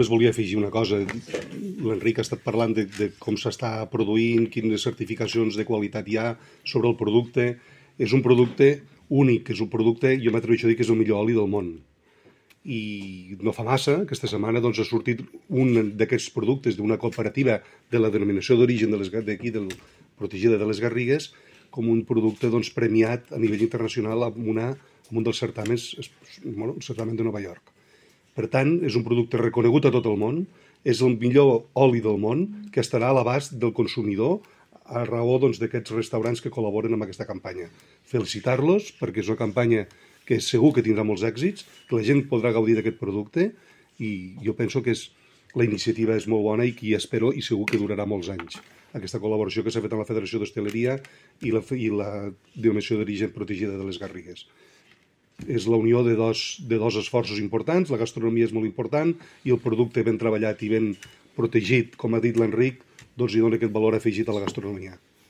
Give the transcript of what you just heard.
Només volia afegir una cosa. L'Enric ha estat parlant de com s'està produint, quines certificacions de qualitat hi ha sobre el producte. És un producte únic, és un producte, jo m'atreveixo a dir que és el millor oli del món. I no fa massa, aquesta setmana, doncs, ha sortit un d'aquests productes d'una cooperativa de la denominació d'origen d'aquí, protegida de les Garrigues, com un producte doncs, premiat a nivell internacional en un dels certaments, bueno, el certamen de Nova York. Per tant, és un producte reconegut a tot el món, és el millor oli del món que estarà a l'abast del consumidor a raó doncs, d'aquests restaurants que col·laboren amb aquesta campanya. Felicitar-los perquè és una campanya que segur que tindrà molts èxits, que la gent podrà gaudir d'aquest producte i jo penso que la iniciativa és molt bona i espero i segur que durarà molts anys. Aquesta col·laboració que s'ha fet amb la Federació d'Hostaleria i la Denominació d'Origen Protegida de les Garrigues. És la unió de dos esforços importants, la gastronomia és molt important i el producte ben treballat i ben protegit, com ha dit l'Enric, doncs hi dona aquest valor afegit a la gastronomia.